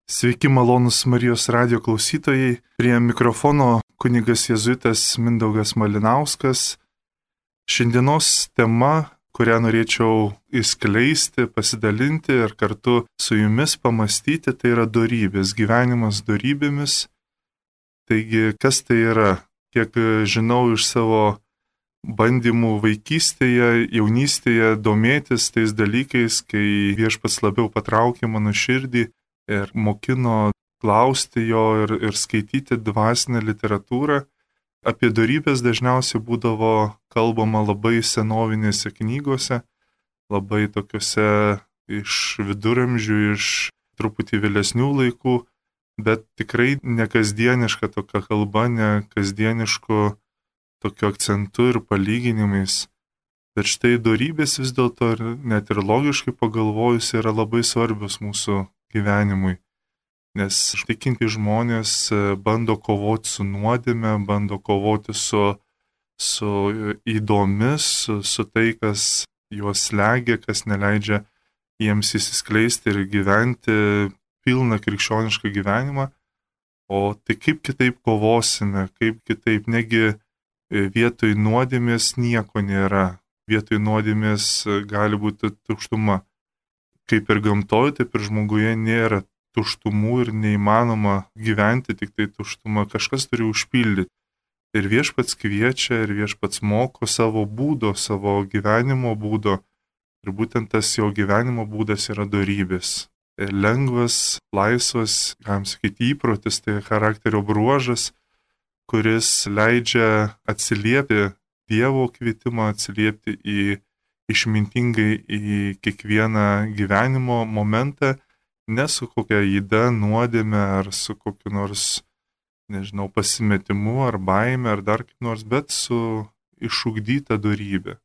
Sveiki malonus Marijos radijo klausytojai. Prie mikrofono kunigas jėzuitas Mindaugas Malinauskas. Šiandienos tema, kurią norėčiau įskleisti, pasidalinti ir kartu su jumis pamastyti, tai yra dorybės, gyvenimas dorybėmis. Taigi, kas tai yra? Kiek žinau iš savo bandymų vaikystėje, jaunystėje domėtis tais dalykais, kai Viešpats labiau patraukė mano širdį ir mokino klausti jo ir skaityti dvasinę literatūrą. Apie dorybės dažniausiai būdavo kalbama labai senovinėse knygose, labai tokiuose iš viduramžių, iš truputį vėlesnių laikų, bet tikrai ne kasdieniška tokia kalba, ne kasdienišku tokiu akcentu ir palyginimais. Bet štai dorybės vis dėlto net ir logiškai pagalvojus yra labai svarbios mūsų gyvenimui, nes tikinti žmonės bando kovoti su nuodėme, bando kovoti su įdomis, su tai, kas juos slegia, kas neleidžia jiems įsiskleisti ir gyventi pilną krikščionišką gyvenimą. O tai kaip kitaip kovosime, kaip kitaip, negi vietoj nuodėmės nieko nėra, vietoj nuodėmės gali būti tuštuma. Kaip ir gamtoje, taip ir žmoguje nėra tuštumų ir neįmanoma gyventi tik tai tuštuma, kažkas turi užpildyti. Ir Viešpats kviečia, ir Viešpats moko savo būdo, savo gyvenimo būdo. Ir būtent tas jo gyvenimo būdas yra dorybės. Ir lengvas, laisvas, galim sakyti, įprotis, tai charakterio bruožas, kuris leidžia atsiliepti Dievo kvietimą, atsiliepti išmintingai į kiekvieną gyvenimo momentą, ne su kokia yda, nuodėme ar su kokiu nors, pasimetimu ar baime ar dar kaip nors, bet su išugdyta dorybė.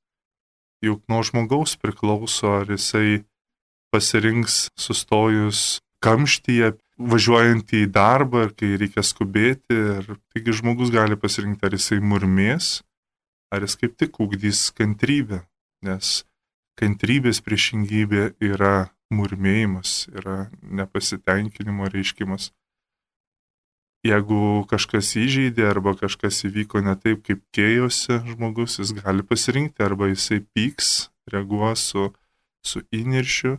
Juk nuo žmogaus priklauso, ar jisai pasirinks sustojus kamštyje, važiuojant į darbą, ar kai reikia skubėti. Ir taigi žmogus gali pasirinkti, ar jisai murmės, ar jis kaip tik ugdys kantrybę. Nes kantrybės priešingybė yra murmėjimas, yra nepasitenkinimo reiškimas. Jeigu kažkas įžeidė arba kažkas įvyko ne taip, kaip kėjosi žmogus, jis gali pasirinkti, arba jisai pyks, reaguos su įniršiu,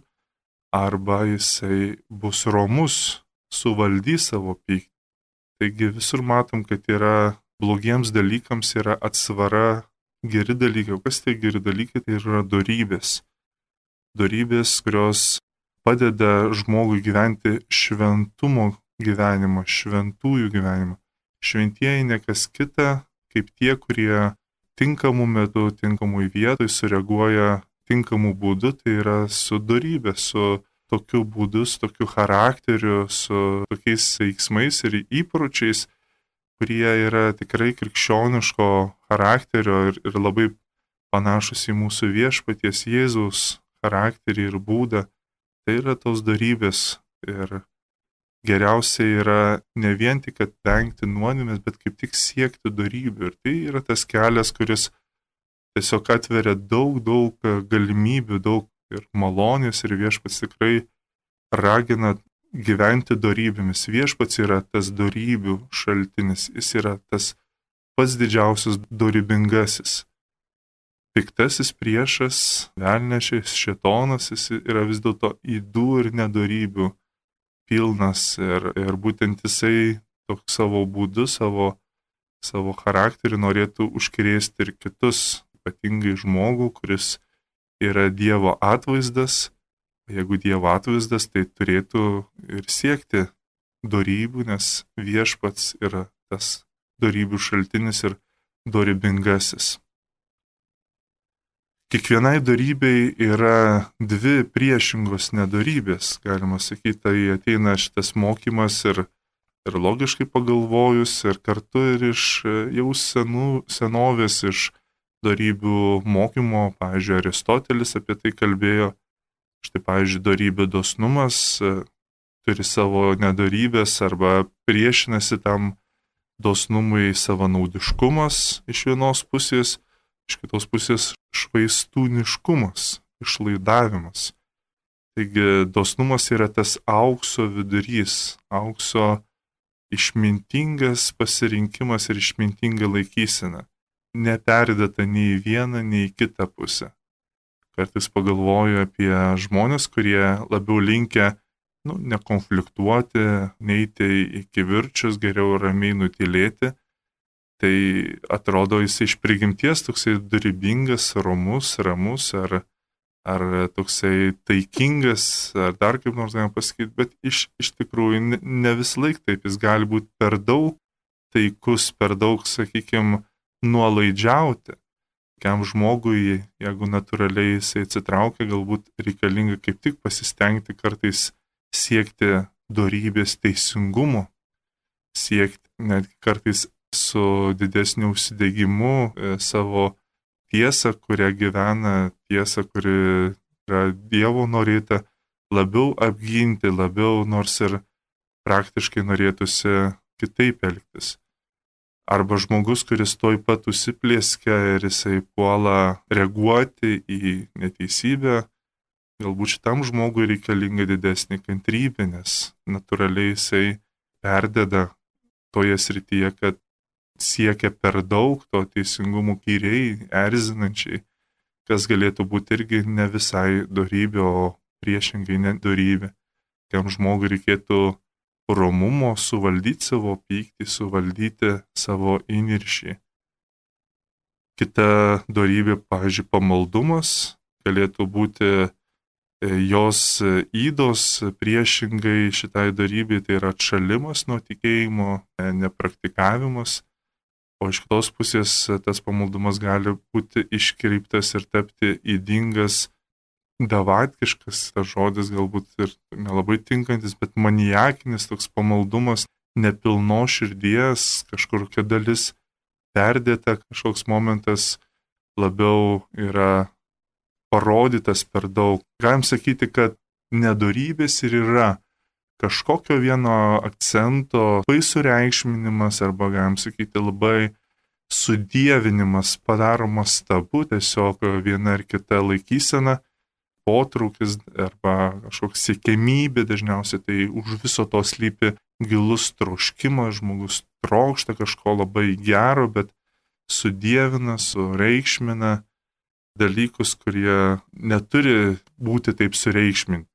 arba jisai bus romus, suvaldys savo pyktį. Taigi visur matom, kad yra blogiems dalykams yra atsvara geri dalykai. O kas tai geri dalykai? Tai yra dorybės. Dorybės, kurios padeda žmogui gyventi šventumo gyvenimą, šventųjų gyvenimą. Šventieji ne kas kita, kaip tie, kurie tinkamų metų, tinkamų vietoj sureaguoja tinkamų būdų, tai yra su dorybė, su tokiu būdu, su tokiu charakteriu, su tokiais veiksmais ir įpročiais, kurie yra tikrai krikščioniško charakterio ir labai panašus į mūsų Viešpaties Jėzaus charakterį ir būdą. Tai yra tos dorybės. Ir geriausia yra ne vien tik vengti nuodėmės, bet kaip tik siekti dorybių. Ir tai yra tas kelias, kuris tiesiog atveria daug galimybių, daug ir malonės, ir Viešpats tikrai ragina gyventi dorybėmis. Viešpats yra tas dorybių šaltinis, jis yra tas pats didžiausias dorybingasis. Piktasis priešas, velnias, šėtonas, jis yra vis dėlto ydų ir nedorybių pilnas ir būtent jisai toks savo būdu, savo charakterį norėtų užkrėsti ir kitus, ypatingai žmogų, kuris yra Dievo atvaizdas. Jeigu Dievo atvaizdas, tai turėtų ir siekti dorybių, nes Viešpats yra tas dorybių šaltinis ir dorybingasis. Kiekvienai dorybei yra dvi priešingos nedorybės, galima sakyti, tai ateina šitas mokymas ir logiškai pagalvojus, ir kartu ir iš jau senovės, iš dorybių mokymo, pavyzdžiui, Aristotelis apie tai kalbėjo. Štai, pavyzdžiui, dorybė dosnumas turi savo nedorybės arba priešinasi tam dosnumui savanaudiškumas iš vienos pusės, iš kitos pusės švaistūniškumas, išlaidavimas. Taigi dosnumas yra tas aukso vidurys, aukso išmintingas pasirinkimas ir išmintinga laikysena. Neperdėta nei į vieną, nei į kitą pusę. Kartais pagalvoju apie žmonės, kurie labiau linkę nekonfliktuoti, neiti į kivirčius, geriau ramiai nutylėti. Tai atrodo jis iš prigimties toksai dorybingas, ramus ar toksai taikingas, ar dar kaip nors galima pasakyti, bet iš tikrųjų ne vis laik taip, jis gali būti per daug taikus, per daug, sakykime, nuolaidžiauti. Kiam žmogui, jeigu natūraliai jisai atsitraukia, galbūt reikalinga kaip tik pasistengti kartais siekti dorybės teisingumo, siekti netgi kartais su didesniu užsidegimu savo tiesą, kurią gyvena, tiesą, kuri yra Dievo norėta, labiau apginti, labiau nors ir praktiškai norėtųsi kitaip elgtis. Arba žmogus, kuris toj pat užsiplėskia ir jisai puola reaguoti į neteisybę, galbūt šitam žmogui reikalinga didesnė kantrybė, nes natūraliai jisai perdeda toje srityje, kad siekia per daug to teisingumo kyriai, erzinančiai, kas galėtų būti irgi ne visai dorybė, o priešingai nedorybė. Kiam žmogui reikėtų romumo, suvaldyti savo pyktį, suvaldyti savo įniršį. Kita dorybė, pavyzdžiui, pamaldumas, galėtų būti jos ydos priešingai šitai dorybei, tai yra atšalimas nuo tikėjimo, nepraktikavimas. O iš kitos pusės tas pamaldumas gali būti iškreiptas ir tapti ydingas, davatkiškas, tas žodis galbūt ir nelabai tinkantis, bet maniakinis toks pamaldumas, nepilno širdies, kažkokia dalis perdėta, kažkoks momentas labiau yra parodytas per daug. Galim sakyti, kad nedorybės ir yra kažkokio vieno akcento labai sureikšminimas arba, galim sakyti, labai sudievinimas padaromas tabu, tiesiog viena ar kita laikysena, potraukis arba kažkoks siekiamybė, dažniausiai tai už viso to slypi gilus troškimas, žmogus trokšta kažko labai gero, bet sudievina, sureikšmina dalykus, kurie neturi būti taip sureikšminti.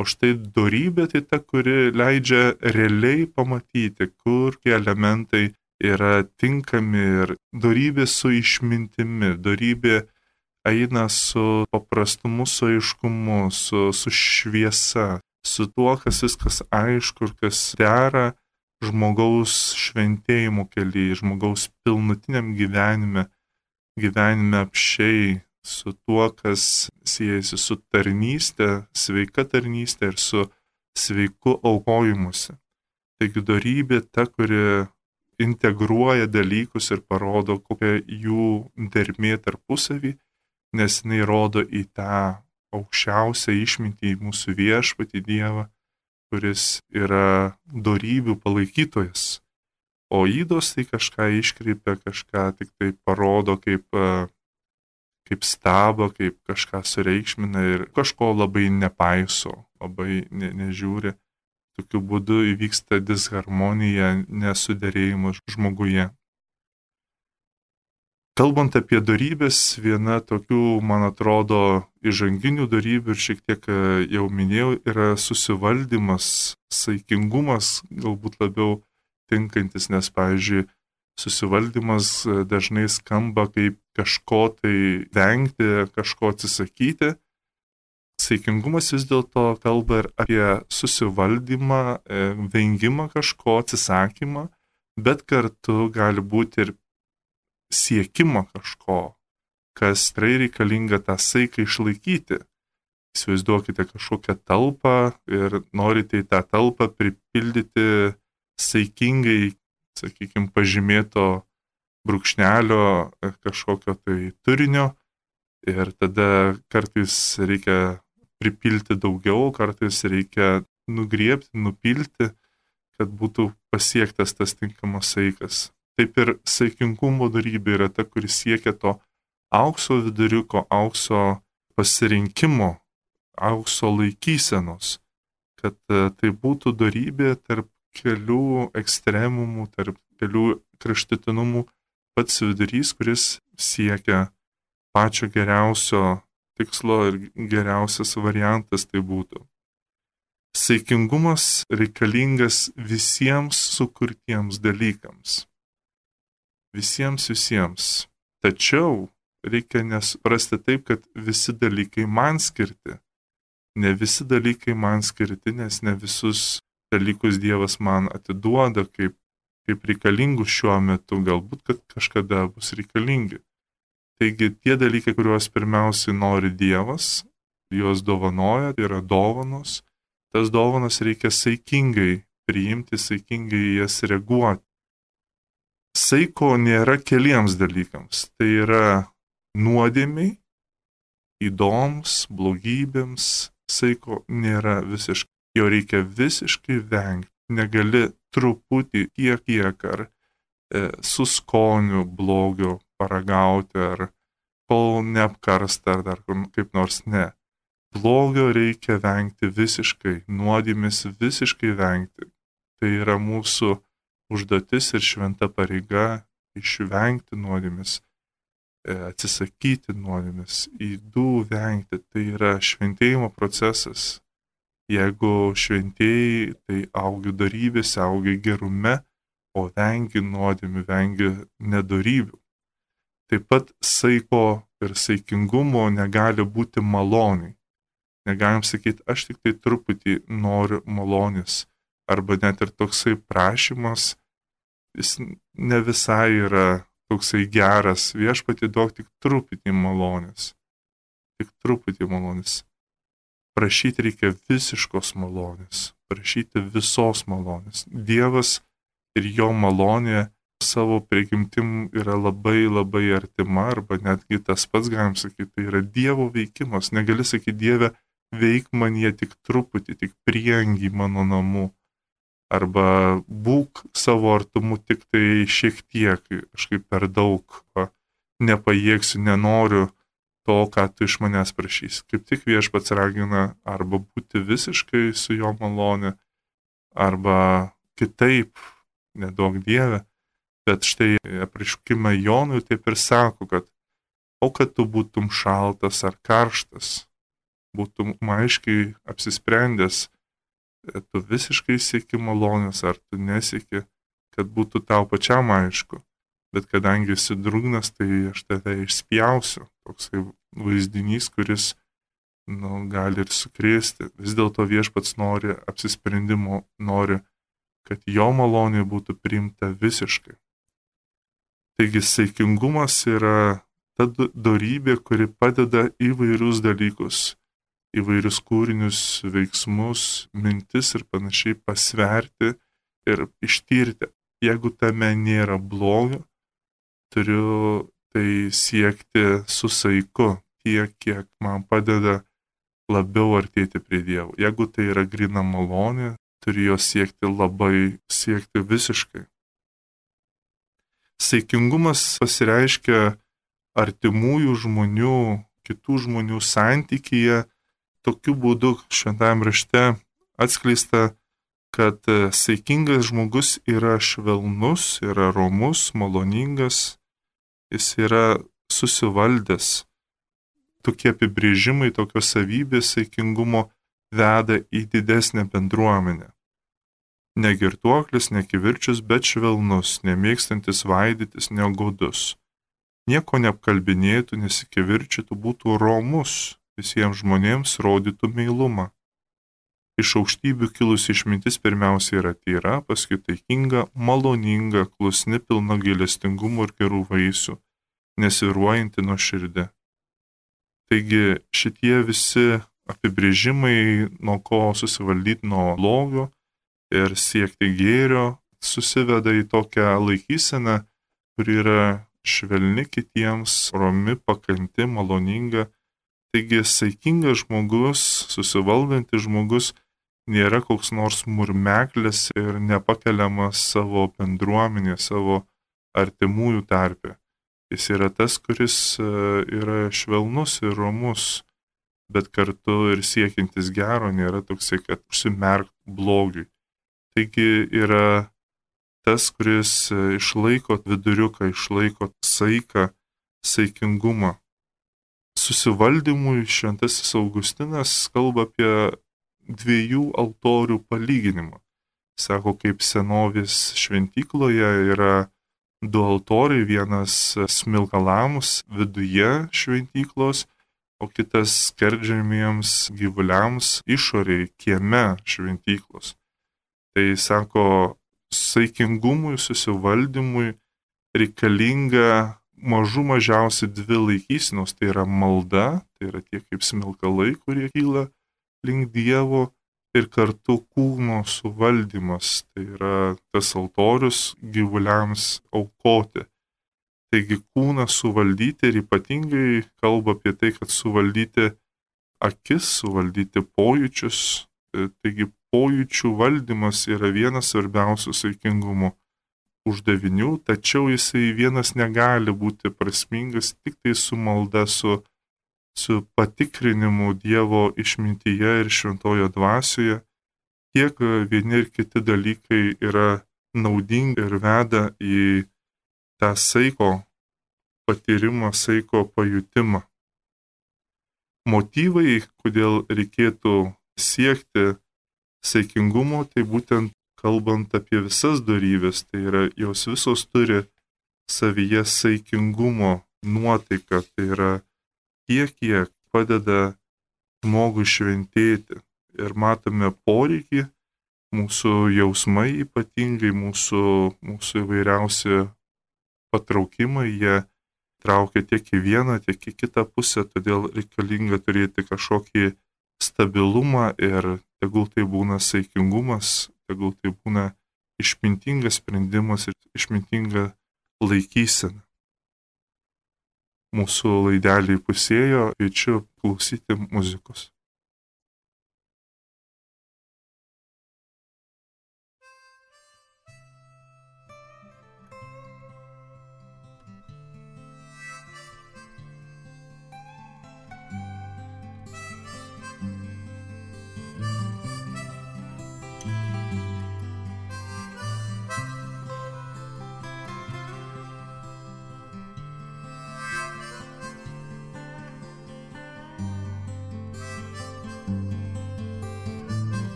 O štai dorybė tai ta, kuri leidžia realiai pamatyti, kur tie elementai yra tinkami, ir dorybė su išmintimi, dorybė eina su paprastumu, su aiškumu, su šviesa, su tuo, kas viskas aišku ir kas dera žmogaus šventėjimo kelyje, žmogaus pilnutiniam gyvenime apšiai, su tuo, kas siejasi su tarnystė, sveika tarnystė ir su sveiku aukojimusi. Taigi dorybė ta, kuri integruoja dalykus ir parodo, kokia jų dermė tarpusavį, nes jinai rodo į tą aukščiausią išmintį, į mūsų viešpatį Dievą, kuris yra dorybių palaikytojas. O ydos tai kažką iškreipia, kažką tik tai parodo kaip stabą, kaip kažką sureikšmina ir kažko labai nepaiso, labai nežiūri. Tokiu būdu įvyksta disharmonija, nesuderėjimas žmoguje. Kalbant apie dorybės, viena tokių, man atrodo, įžanginių dorybių ir šiek tiek jau minėjau, yra susivaldymas, saikingumas, galbūt labiau tinkantis, nes, pavyzdžiui, susivaldymas dažnai skamba kaip kažko tai vengti, kažko atsisakyti. Saikingumas vis dėlto kalba ir apie susivaldymą, vengimą kažko, atsisakymą, bet kartu gali būti ir siekimą kažko, kas tikrai reikalinga tą saiką išlaikyti. Įsivaizduokite kažkokią talpą ir norite į tą talpą pripildyti saikingai, sakykime, pažymėto brūkšnelio kažkokio tai turinio, ir tada kartais reikia pripilti daugiau, kartais reikia nugriebti, nupilti, kad būtų pasiektas tas tinkamas saikas. Taip ir saikingumo dorybė yra ta, kuris siekia to aukso viduriuko, aukso pasirinkimo, aukso laikysenos, kad tai būtų dorybė tarp kelių ekstremumų, tarp kelių kraštutinumų, pats vidurys, kuris siekia pačio geriausio tikslo ir geriausias variantas tai būtų. Saikingumas reikalingas visiems sukurtiems dalykams. Visiems. Tačiau reikia nesuprasti taip, kad visi dalykai man skirti. Ne visi dalykai man skirti, nes ne visus dalykus Dievas man atiduoda kaip reikalingus šiuo metu, galbūt, kad kažkada bus reikalingi. Taigi tie dalykai, kuriuos pirmiausiai nori Dievas, juos dovanoja, tai yra dovanos. Tas dovanas reikia saikingai priimti, saikingai jas reaguoti. Saiko nėra keliems dalykams. Tai yra nuodėmiai, įdoms, blogybėms. Saiko nėra visiškai. Jo reikia visiškai vengti. Negali truputį kiek ar su skoniu blogio paragauti, ar kol neapkarsta, ar dar kaip nors ne. Blogio reikia vengti visiškai, nuodėmės visiškai vengti. Tai yra mūsų užduotis ir šventa pareiga išvengti nuodėmės, atsisakyti nuodėmės, ydų vengti. Tai yra šventėjimo procesas. Jeigu šventėjai, tai augi dorybėse, augi gerume, o vengi nuodėmių, vengi nedorybių. Taip pat saiko ir saikingumo negali būti maloniai. Negalim sakyti, aš tik tai truputį noriu malonės. Arba net ir toksai prašymas, jis ne visai yra toksai geras. Viešpatie duok tik truputį malonės. Tik truputį malonės. Prašyti reikia visiškos malonės. Prašyti visos malonės. Dievas ir jo malonė savo prigimtim yra labai labai artima, arba netgi tas pats, galim sakyti, tai yra Dievo veikimas. Negali sakyti, Dieve, veik man jie tik truputį, tik prieangy mano namų. Arba būk savo artumu tik tai šiek tiek, kažkaip per daug, nepajėgsiu, nenoriu to, ką tu iš manęs prašys. Kaip tik Viešpats ragina arba būti visiškai su jo malonė, arba kitaip, neduok Dieve. Bet štai apreiškime Jonui taip ir sako, kad kad tu būtum šaltas ar karštas, būtum aiškiai apsisprendęs, tu visiškai sieki malonės, ar tu nesieki, kad būtų tau pačiam aišku. Bet kadangi esi drugnas, tai aš tave išspjausiu. Toksai vaizdinys, kuris gali ir sukrėsti. Vis dėlto Viešpats nori apsisprendimo, nori, kad jo malonė būtų priimta visiškai. Taigi saikingumas yra ta dorybė, kuri padeda įvairius dalykus, įvairius kūrinius, veiksmus, mintis ir panašiai pasverti ir ištirti. Jeigu tame nėra blogio, turiu tai siekti su saiku, tiek, kiek man padeda labiau artėti prie Dievo. Jeigu tai yra grina malonė, turiu jo siekti visiškai. Saikingumas pasireiškia artimųjų žmonių, kitų žmonių santykyje. Tokiu būdu šventajame rašte atskleista, kad saikingas žmogus yra švelnus, yra romus, maloningas, jis yra susivaldęs. Tokie apibrėžimai, tokios savybės saikingumo veda į didesnę bendruomenę. Ne girtuoklis, ne kivirčius, bet švelnus, nemėgstantis vaidytis, negodus. Nieko neapkalbinėtų, nesikivirčytų, būtų romus, visiems žmonėms rodytų meilumą. Iš aukštybių kilusi išmintis pirmiausia yra tyra, paskui taikinga, maloninga, klusni, pilna gailestingumo ir gerų vaisių, nesvyruojanti nuoširdė. Taigi šitie visi apibrėžimai, nuo ko susivaldyti nuo blogio ir siekti gėrio, susiveda į tokią laikyseną, kuri yra švelni kitiems, romi, pakanti, maloninga. Taigi saikingas žmogus, susivaldantis žmogus nėra koks nors murmeklis ir nepakeliamas savo bendruomenė, savo artimųjų tarpe. Jis yra tas, kuris yra švelnus ir romus, bet kartu ir siekiantis gero, nėra toksai, kad užsimerkt blogiui. Taigi yra tas, kuris išlaiko viduriuką, išlaiko saiką, saikingumą. Susivaldymui šventasis Augustinas kalba apie 2 altorių palyginimą. Sako, kaip senovės šventykloje yra 2 altoriai, vienas smilkalams viduje šventyklos, o kitas skerdžiamiems gyvuliams išorėje, kieme šventyklos. Tai sako, saikingumui, susivaldymui reikalinga mažiausiai 2 laikysenos, tai yra malda, tai yra tie kaip smilkalai, kurie kyla link Dievo, ir kartu kūno suvaldymas, tai yra tas altorius gyvuliams aukoti. Taigi kūną suvaldyti ir ypatingai kalba apie tai, kad suvaldyti akis, suvaldyti pojūčius. Taigi pojūčių valdymas yra vienas svarbiausių saikingumo uždavinių, tačiau jisai vienas negali būti prasmingas tik tai su malda, su patikrinimu Dievo išmintyje ir šventojo dvasioje. Tiek vieni ir kiti dalykai yra naudingi ir veda į tą saiko patyrimą, saiko pajutimą. Motyvai, kodėl reikėtų siekti saikingumo, tai būtent kalbant apie visas dorybės, tai yra jos visos turi savyje saikingumo nuotaiką, tai yra tiek, kiek padeda žmogui šventėti. Ir matome poreikį, mūsų jausmai ypatingai, mūsų įvairiausi patraukimai, jie traukia tiek į vieną, tiek į kitą pusę, todėl reikalinga turėti kažkokį stabilumą ir tegul tai būna saikingumas, tegul tai būna išmintingas sprendimas ir išmintinga laikysena. Mūsų laidelį pusėjo, kviečiu klausyti muzikos.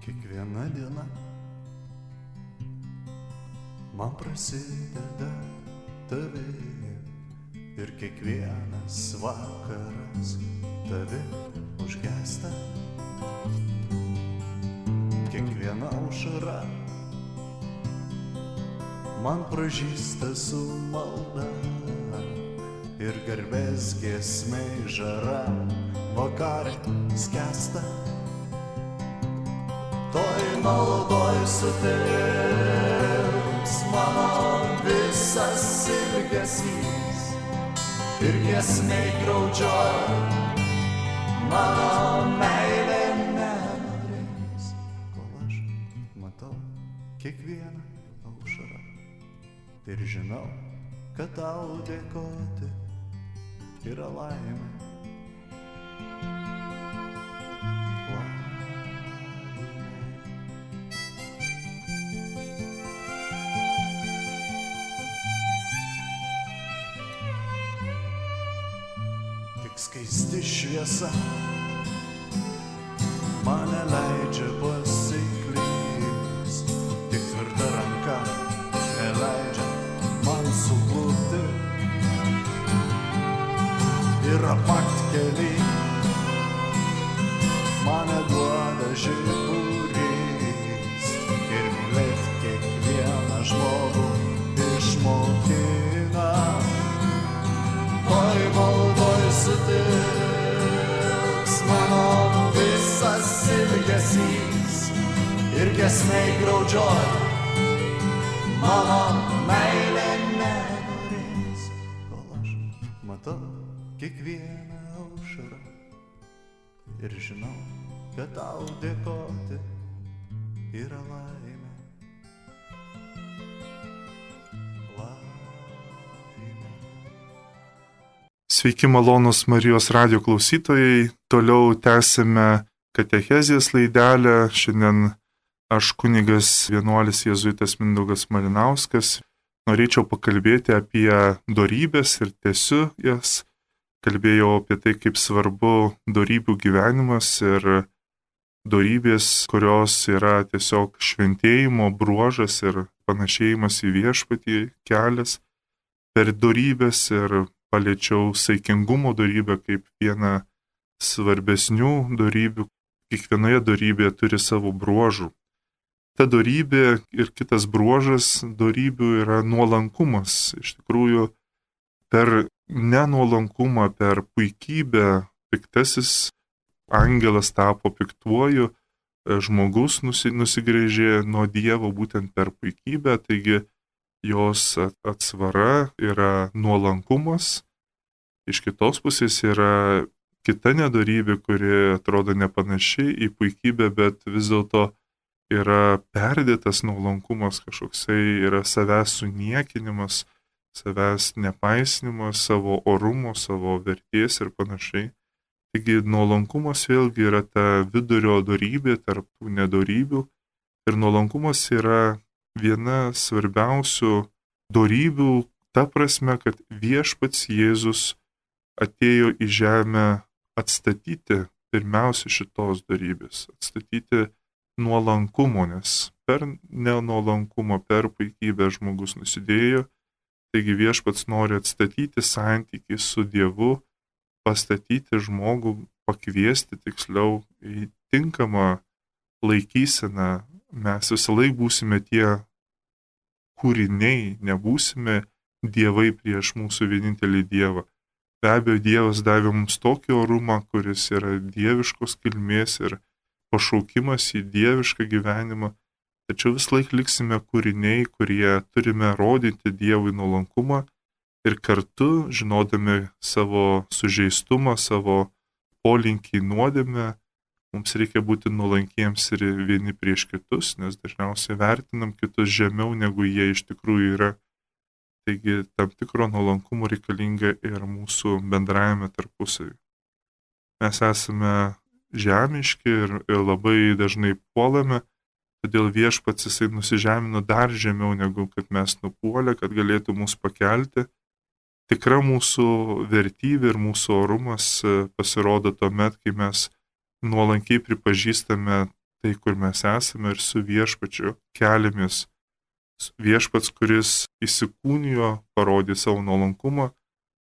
Kiekviena diena man prasideda tavimi ir kiekvienas vakaras tavi užgęsta. Kiekviena aušra man pražįsta su malda ir garbės giesmei žara vakarė skęsta. Toj maldoj sutilps mano visas ilgesys ir giesmei graudžioj mano meilė nenorės, kol aš matau kiekvieną aušrą ir žinau, kad tau dėkoti yra laimė. Skaisti šviesa mane leidžia pasiklyst, tik tvirta ranka neleidžia man suklupti. Ir apakt keli mane duoda žiburys ir mylėt kiekvieną žmogų išmokina. Toj maldoj sutilps mano visas ilgesys ir giesmei graudžioj mano meilė nenorės, kol aš matau kiekvieną aušrą ir žinau, kad tau dėkoti yra laimė. Sveiki malonus Marijos radio klausytojai. Toliau tęsime katechezės laidelę. Šiandien aš kunigas vienuolis jėzuitas Mindaugas Malinauskas. Norėčiau pakalbėti apie dorybės ir tęsiu jas. Kalbėjau apie tai, kaip svarbu dorybių gyvenimas ir dorybės, kurios yra tiesiog šventėjimo bruožas ir panašėjimas į viešpatį kelias per dorybės ir paliečiau saikingumo dorybę kaip vieną svarbesnių dorybių. Kiekvienoje dorybėje turi savo bruožų. Ta dorybė ir kitas bruožas dorybių yra nuolankumas. Iš tikrųjų, per nenuolankumą, per puikybę piktasis angelas tapo piktuoju, žmogus nusigręžė nuo Dievo būtent per puikybę, taigi jos atsvara yra nuolankumas. Iš kitos pusės yra kita nedorybė, kuri atrodo nepanaši į puikybę, bet vis dėlto yra perdėtas nuolankumas, kažkoksai yra savęs suniekinimas, savęs nepaisnimas, savo orumo, savo vertės ir panašiai. Taigi nuolankumas vėlgi yra ta vidurio dorybė tarp tų nedorybių ir nuolankumas yra viena svarbiausių dorybių, ta prasme, kad viešpats Jėzus atėjo į žemę atstatyti pirmiausia šitos dorybės, atstatyti nuolankumo, nes per nenuolankumą, per puikybę žmogus nusidėjo, taigi viešpats nori atstatyti santykį su Dievu, pastatyti žmogų, pakviesti tiksliau į tinkamą laikyseną. Mes visą laiką būsime tie kūriniai, nebūsime dievai prieš mūsų vienintelį Dievą. Be abejo, Dievas davė mums tokį orumą, kuris yra dieviškos kilmės ir pašaukimas į dievišką gyvenimą, tačiau vis laik liksime kūriniai, kurie turime rodyti Dievui nuolankumą ir kartu, žinodami savo sužeistumą, savo polinkį nuodėmę, mums reikia būti nuolankiems ir vieni prieš kitus, nes dažniausiai vertinam kitus žemiau, negu jie iš tikrųjų yra. Taigi tam tikro nuolankumo reikalinga ir mūsų bendrajame tarpusavy. Mes esame žemiški ir labai dažnai puolame, todėl viešpats jisai nusižemino dar žemiau, negu kad mes nupuolė, kad galėtų mus pakelti. Tikra mūsų vertybė ir mūsų orumas pasirodo tuomet, kai mes nuolankiai pripažįstame tai, kur mes esame ir su viešpačiu keliamės. Viešpats, kuris įsikūnijo, parodė savo nuolankumą,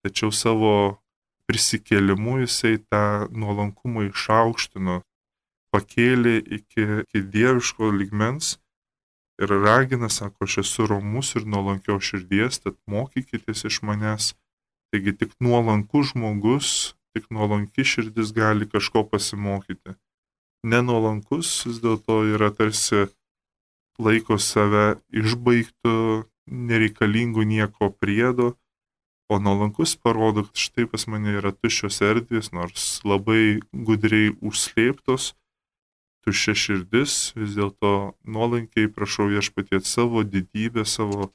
tačiau savo prisikėlimu jisai tą nuolankumą išaukštino, pakėlė iki dieviško lygmens ir ragina, sako, aš esu romus ir nuolankios širdies, tad mokykitės iš manęs. Taigi tik nuolankus žmogus, tik nuolanki širdis gali kažko pasimokyti. Nenuolankus vis dėlto yra tarsi laiko save išbaigtų, nereikalingų nieko priedo, o nuolankus parodo, kad štai pas mane yra tuščios erdvės, nors labai gudriai užslėptos, tuščia širdis, vis dėlto nuolankiai prašau viešpaties savo didybę, savo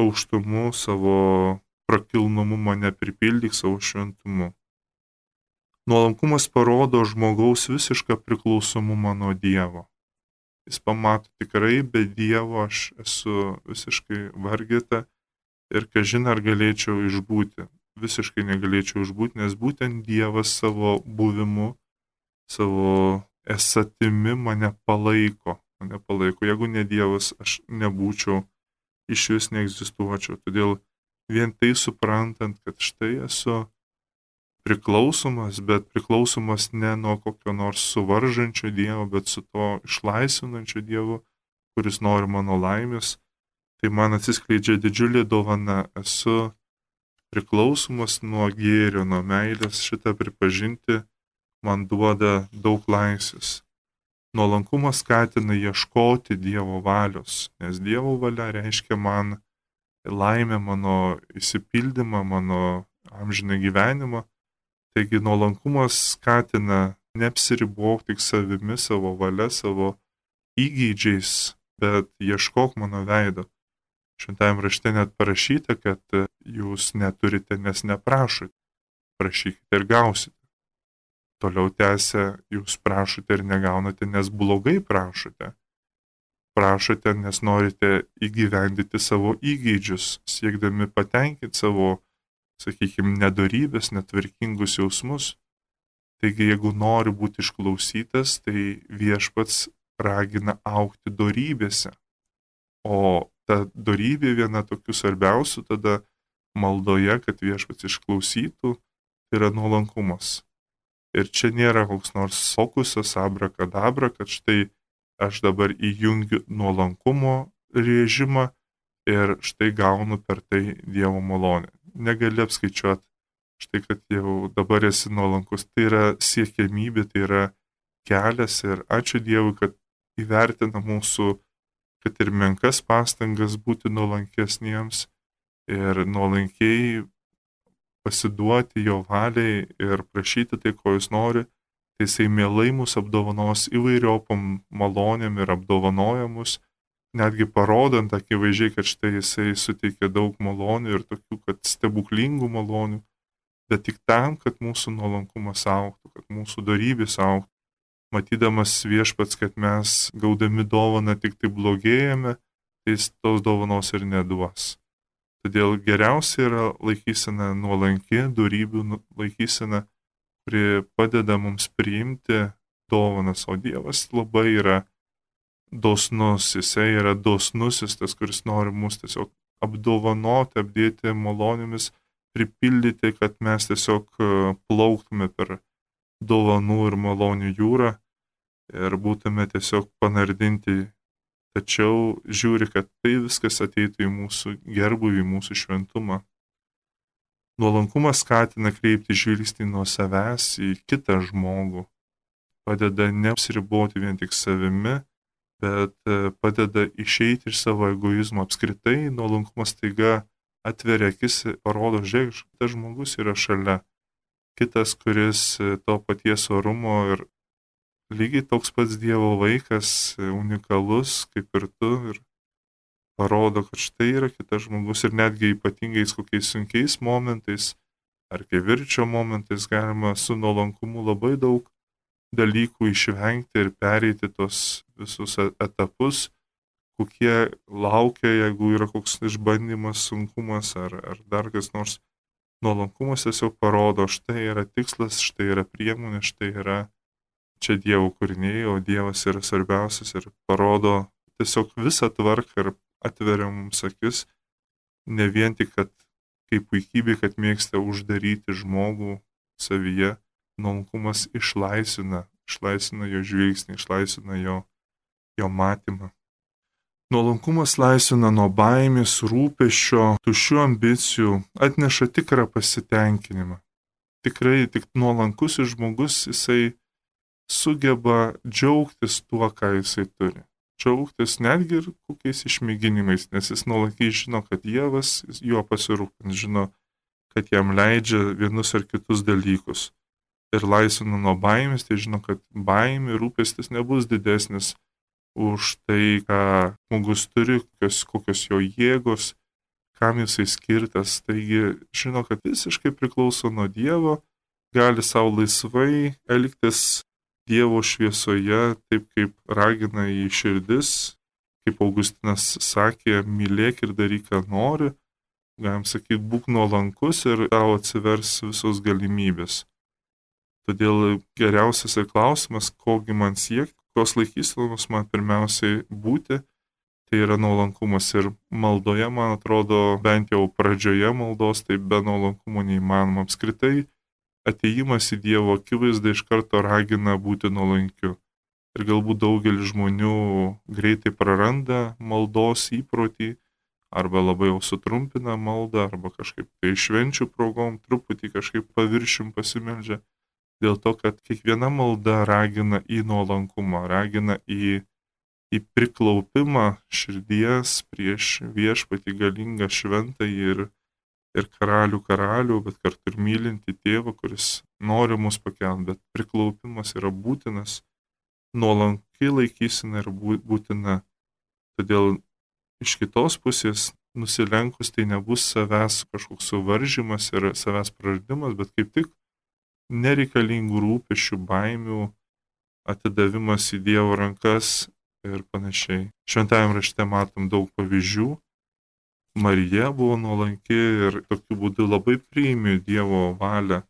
aukštumu, savo prakilnumu mane pripildyk savo šventumu. Nuolankumas parodo žmogaus visišką priklausomumą nuo Dievo. Jis pamato tikrai, be Dievo aš esu visiškai vargeta ir kažin ar galėčiau išbūti. Visiškai negalėčiau išbūti, nes būtent Dievas savo buvimu, savo esatimi mane palaiko. Jeigu ne Dievas, aš nebūčiau, iš vis neegzistuočiau. Todėl vien tai suprantant, kad štai esu priklausomas, bet priklausomas ne nuo kokio nors suvaržančio Dievo, bet su to išlaisvinančio Dievo, kuris nori mano laimės, tai man atsiskleidžia didžiulė dovana. Esu priklausomas nuo gėrio, nuo meilės, šitą pripažinti man duoda daug laisvės. Nuolankumas skatina ieškoti Dievo valios, nes Dievo valia reiškia man laimę, mano įsipildymą, mano amžiną gyvenimą. Taigi nuolankumas skatina neapsiribok tik savimi, savo valia, savo įgeidžiais, bet ieškok mano veido. Šventajame rašte net parašyta, kad jūs neturite, nes neprašote. prašykite ir gausite. Toliau tęsia, jūs prašote ir negaunate, nes blogai prašote. Prašote, nes norite įgyvendyti savo įgeidžius, siekdami patenkinti savo, sakykime, nedorybės, netvarkingus jausmus. Taigi, jeigu nori būti išklausytas, tai viešpats ragina augti dorybėse. O ta dorybė viena tokių svarbiausių tada maldoje, kad viešpats išklausytų, tai yra nuolankumas. Ir čia nėra koks nors fokusas, abrakadabra, kad štai aš dabar įjungiu nuolankumo režimą ir štai gaunu per tai Dievo malonę. Negali apskaičiuoti, štai kad jau dabar esi nuolankus. Tai yra siekiamybė, tai yra kelias ir ačiū Dievui, kad įvertina mūsų, kad ir menkas pastangas būti nuolankesniems ir nuolankiai pasiduoti jo valiai ir prašyti tai, ko jis nori, tai jisai mielai mus apdovanos įvairiopom malonėm ir apdovanoja mus, netgi parodant akivaizdžiai, kad štai jisai suteikia daug malonių ir tokių, kad stebuklingų malonių, bet tik tam, kad mūsų nuolankumas augtų, kad mūsų dorybės augtų. Matydamas viešpats, kad mes gaudami dovaną tik tai blogėjame, tai jis tos dovanos ir neduos. Todėl geriausia yra laikysena nuolanki, dorybių laikysena, kuri padeda mums priimti dovanas, o Dievas labai yra dosnus, jisai yra dosnusis, tas, kuris nori mus tiesiog apdovanoti, apdėti malonėmis, pripildyti, kad mes tiesiog plauktume per dovanų ir malonių jūrą ir būtume tiesiog panardinti. Tačiau žiūri, kad tai viskas ateitų į mūsų gerbuvį, į mūsų šventumą. Nuolankumas skatina kreipti žvilgsnį nuo savęs į kitą žmogų. Padeda neapsiriboti vien tik savimi, bet padeda išeiti iš savo egoizmo. Apskritai, nuolankumas taiga atveria akis, parodo, žiūrėk, tas žmogus yra šalia. Kitas, kuris to paties orumo ir lygiai toks pats Dievo vaikas, unikalus kaip ir tu, ir parodo, kad štai yra kitas žmogus ir netgi ypatingais kokiais sunkiais momentais ar kivirčio momentais galima su nuolankumu labai daug dalykų išvengti ir pereiti tos visus etapus, kokie laukia, jeigu yra koks išbandymas, sunkumas ar dar kas nors. Nuolankumas tiesiog parodo, štai yra tikslas, štai yra priemonė, štai yra čia Dievo kūriniai, o Dievas yra svarbiausias ir parodo tiesiog visą tvarką ir atveria mums akis, ne vien tik, kad kaip puikybė, kad mėgsta uždaryti žmogų savyje, nuolankumas išlaisvina jo žvilgsnį, išlaisvina jo matymą. Nuolankumas laisvina nuo baimės, rūpesčio, tuščių ambicijų, atneša tikrą pasitenkinimą. Tikrai tik nuolankus žmogus, jisai sugeba džiaugtis tuo, ką jisai turi. Džiaugtis netgi ir kokiais išmėginimais, nes jis nuolankiai žino, kad Dievas juo pasirūpins, žino, kad jam leidžia vienus ar kitus dalykus. Ir laisvina nuo baimės, tai žino, kad baimė, rūpestis nebus didesnis už tai, ką žmogus turi, kokios jo jėgos, kam jisai skirtas. Taigi žino, kad visiškai priklauso nuo Dievo, gali savo laisvai elgtis Dievo šviesoje, taip kaip ragina į širdis, kaip Augustinas sakė, mylėk ir daryk, ką nori, galim sakyti, būk nuolankus ir tau atsivers visos galimybės. Todėl geriausias ir klausimas, kogi man siekti, kokios laikysenos man pirmiausiai būti, tai yra nuolankumas. Ir maldoje, man atrodo, bent jau pradžioje maldos, tai be nuolankumo neįmanoma. Apskritai, atėjimas į Dievo akivaizdą iš karto ragina būti nuolankiu. Ir galbūt daugelis žmonių greitai praranda maldos įprotį, arba labai jau sutrumpina maldą, arba kažkaip tai švenčių progom truputį kažkaip paviršium pasimeldžia. Dėl to, kad kiekviena malda ragina į nuolankumą, ragina į priklaupimą širdies prieš viešpatį galingą šventąjį ir karalių, bet kartu ir mylinti tėvą, kuris nori mus pakelti, bet priklaupimas yra būtinas, nuolankiai laikysena ir būtina. Todėl iš kitos pusės nusilenkus tai nebus savęs kažkoks suvaržymas ir savęs praradimas, bet kaip tik nereikalingų rūpesčių, baimių atidavimas į Dievo rankas ir panašiai. Šventajame rašte matom daug pavyzdžių. Marija buvo nuolanki ir tokiu būdu labai priėmė Dievo valią.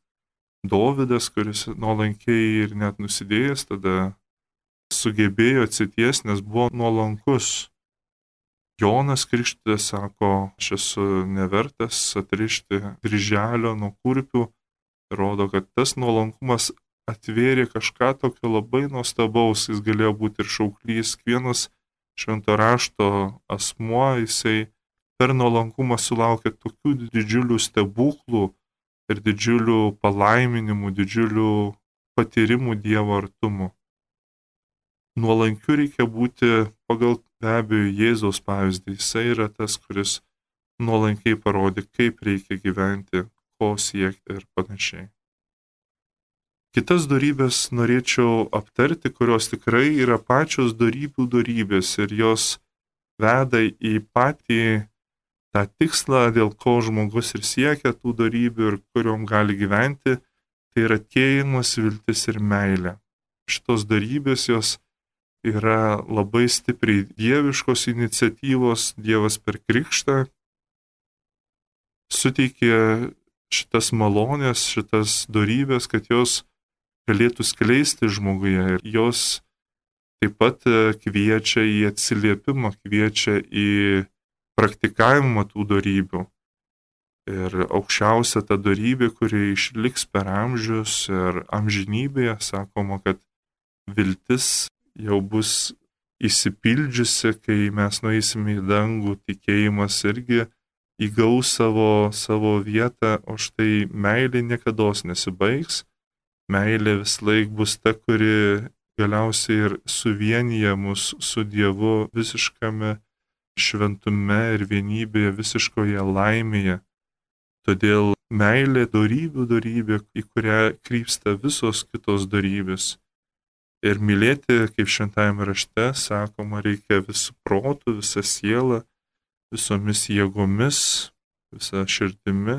Dovydas, kuris nuolankiai ir net nusidėjęs, tada sugebėjo atsities, nes buvo nuolankus. Jonas Krikštytojas sako, aš esu nevertas atrišti kryželio nuo kurpių. Rodo, kad tas nuolankumas atvėrė kažką tokio labai nuostabaus, jis galėjo būti ir šauklys. Kiekvienas švento rašto asmuo, jisai per nuolankumą sulaukė tokių didžiulių stebuklų ir didžiulių palaiminimų, didžiulių patyrimų Dievo artumo. Nuolankiu reikia būti pagal be abejo Jėzaus pavyzdį. Jisai yra tas, kuris nuolankiai parodė, kaip reikia gyventi, ko siekti ir panašiai. Kitas dorybės norėčiau aptarti, kurios tikrai yra pačios dorybių dorybės ir jos veda į patį tą tikslą, dėl ko žmogus ir siekia tų dorybių ir kuriuom gali gyventi, tai yra tikėjimas, viltis ir meilė. Šitos dorybės jos yra labai stipriai dieviškos iniciatyvos, Dievas per krikštą suteikė šitas malonės, šitas dorybės, kad jos galėtų skleisti žmoguje ir jos taip pat kviečia į atsiliepimą, kviečia į praktikavimą tų dorybių. Ir aukščiausia ta dorybė, kuri išliks per amžius ir amžinybėje, sakoma, kad viltis jau bus įsipildžiusi, kai mes nueisime į dangų, tikėjimas irgi įgaus savo vietą, o štai meilė niekados nesibaigs. Meilė vis laik bus ta, kuri galiausiai ir suvienyje mus su Dievu visiškame šventume ir vienybėje, visiškoje laimėje. Todėl meilė dorybė, į kurią krypsta visos kitos dorybės. Ir mylėti, kaip šventajame rašte sakoma, reikia visų protų, visą sielą, visomis jėgomis, visą širdimi.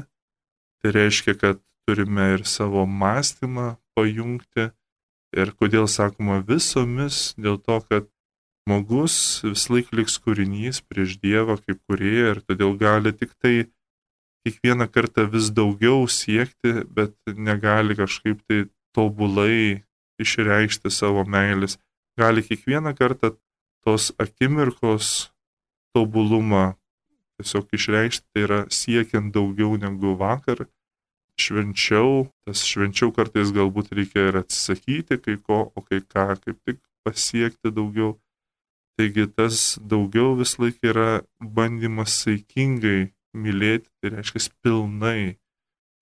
Tai reiškia, kad turime ir savo mąstymą pajungti. Ir kodėl sakoma visomis, dėl to, kad žmogus vis laik liks kūrinys prieš Dievą kaip kūrėją ir todėl gali tik tai kiekvieną kartą vis daugiau siekti, bet negali kažkaip tai tobulai išreikšti savo meilės. Gali kiekvieną kartą tos akimirkos tobulumą tiesiog išreikšti, tai yra siekiant daugiau negu vakar. Švenčiau kartais galbūt reikia ir atsisakyti kai ko, o kai ką kaip tik pasiekti daugiau. Taigi tas daugiau vis laik yra bandymas saikingai mylėti, tai reiškia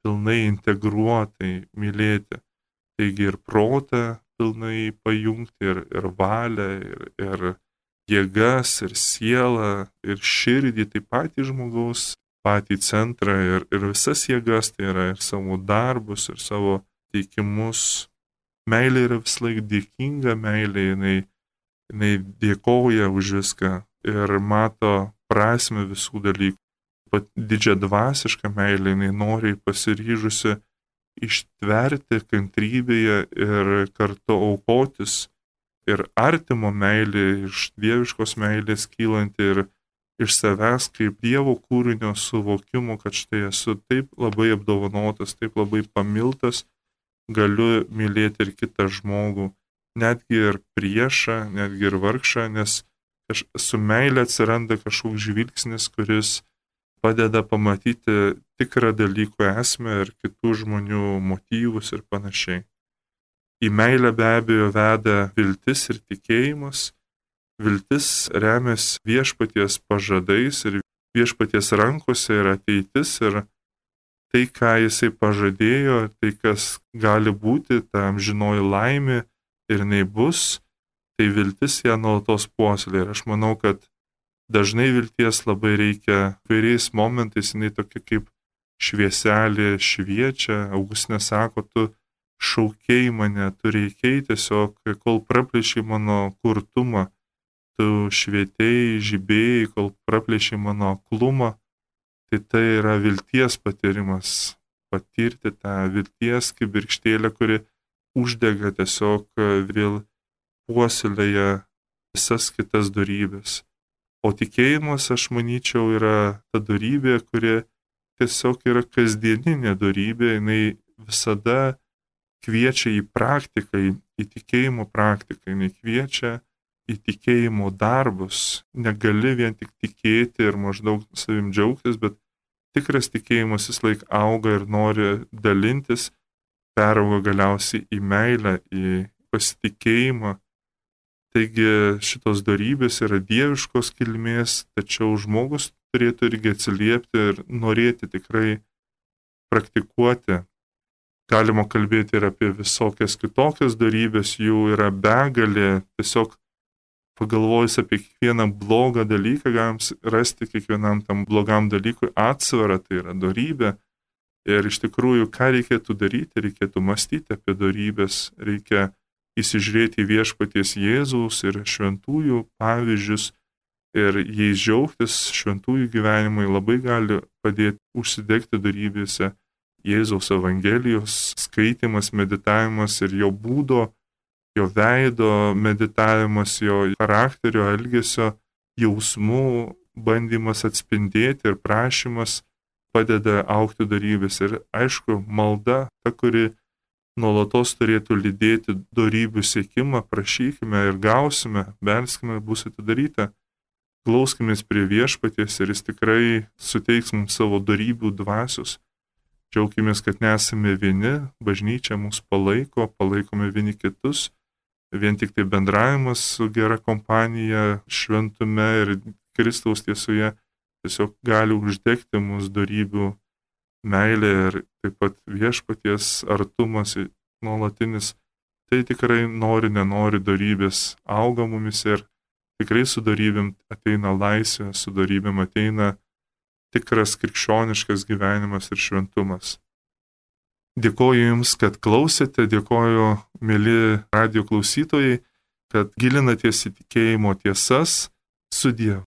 pilnai integruotai mylėti. Taigi ir protą pilnai pajungti, ir valią, ir jėgas, ir sielą, ir širdį, taip pat į žmogaus patį centrą ir visas jėgas, tai yra ir savo darbus, ir savo teikimus. Meilė yra vis laik dėkinga, meilė jinai dėkoja už viską ir mato prasme visų dalykų. Pat didžią dvasišką meilę jinai noriai pasiryžusi ištverti kantrybėje ir kartu aukotis. Ir artimo meilė iš dieviškos meilės kylanti ir iš savęs kaip Dievo kūrinio suvokimo, kad štai esu taip labai apdovanotas, taip labai pamiltas, galiu mylėti ir kitą žmogų, netgi ir priešą, netgi ir vargšą, nes su meilė atsiranda kažkoks žvilgsnis, kuris padeda pamatyti tikrą dalyko esmę ir kitų žmonių motyvus ir panašiai. Į meilę be abejo veda viltis ir tikėjimas. Viltis remiasi viešpaties pažadais ir viešpaties rankose yra ateitis ir tai, ką jisai pažadėjo, tai, kas gali būti, ta amžinoji laimė ir jinai bus, tai viltis ją nuolatos puoselėja. Ir aš manau, kad dažnai vilties labai reikia vairiais momentais, jinai tokia kaip švieselė šviečia. Augustinė sako, tu šaukėjai mane, tu reikiai tiesiog, kol praplėšiai mano kurtumą, tu švietėjai, žibėjai, kol praplėšiai mano aklumą, tai yra vilties patyrimas. Patirti tą vilties kibirkštėlę, kuri uždega tiesiog vėl puoselėja visas kitas dorybės. O tikėjimas, aš manyčiau, yra ta dorybė, kuri tiesiog yra kasdieninė dorybė, jinai visada kviečia į praktiką, į tikėjimo praktiką, jinai kviečia į tikėjimo darbus. Negali vien tik tikėti ir maždaug savim džiaugtis, bet tikras tikėjimas vis laik auga ir nori dalintis, perauga galiausiai į meilę, į pasitikėjimą. Taigi šitos dorybės yra dieviškos kilmės, tačiau žmogus turėtų irgi atsiliepti ir norėti tikrai praktikuoti. Galima kalbėti ir apie visokias kitokias dorybės, jų yra begalė. Tiesiog pagalvojus apie kiekvieną blogą dalyką, galim rasti kiekvienam tam blogam dalykui atsvarą, tai yra dorybė. Ir iš tikrųjų, ką reikėtų daryti, reikėtų mąstyti apie dorybės, reikia įsižiūrėti į viešpaties Jėzaus ir šventųjų pavyzdžius ir jais džiaugtis. Šventųjų gyvenimai labai gali padėti užsidegti dorybėse. Jėzaus Evangelijos skaitimas, meditavimas ir jo būdo, jo veido meditavimas, jo charakterio, elgesio, jausmų bandymas atspindėti ir prašymas padeda augti dorybės. Ir aišku, malda, ta, kuri nuolatos turėtų lydėti dorybių siekimą, prašykime ir gausime, belskime, bus atidaryta. Glauskimės prie viešpaties ir jis tikrai suteiks mums savo dorybių dvasios. Džiaukimės, kad nesame vieni, bažnyčia mus palaiko, palaikome vieni kitus. Vien tik tai bendravimas su gera kompanija, šventume ir Kristaus tiesoje tiesiog gali uždegti mūsų dorybių meilė ir taip pat viešpaties artumas nuolatinis. Tai tikrai nenori dorybės auga mumis ir tikrai su dorybėm ateina laisvė, su dorybėm ateina tikras krikščioniškas gyvenimas ir šventumas. Dėkoju Jums, kad klausėte, dėkoju, mieli radijo klausytojai, kad gilinatės į tikėjimo tiesas. Sudie.